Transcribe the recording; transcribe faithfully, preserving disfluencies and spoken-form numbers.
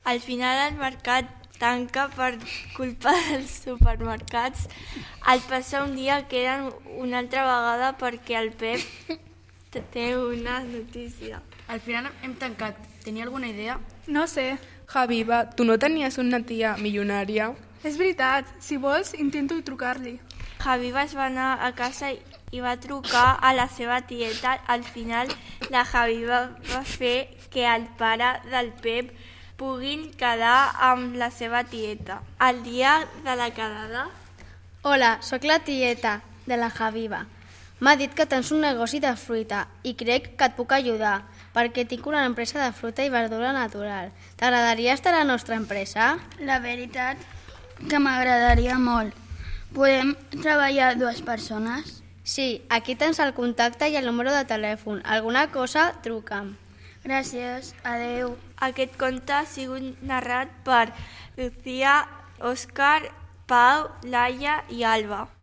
Al final el mercat tanca per culpa dels supermercats. Al passar un dia queden una altra vegada perquè el Pep té una notícia. Al final hem tancat. Tenia alguna idea? No sé. Javi, va, tu no tenies una tia milionària? És veritat. Si vols, intento trucar-li. Javi va anar a casa i va trucar a la seva tieta. Al final, la Javi va, va fer que el pare del Pep puguin quedar amb la seva tieta. El dia de la quedada... Hola, sóc la tieta de la Javiva. M'ha dit que tens un negoci de fruita i crec que et puc ajudar perquè tinc una empresa de fruita i verdura natural. T'agradaria estar a la nostra empresa? La veritat que m'agradaria molt. Podem treballar dues persones? Sí, aquí tens el contacte i el número de telèfon. Alguna cosa, truca'm. Gràcies, adeu. Aquest conte ha sigut narrat per Lucía, Òscar, Pau, Laia i Alba.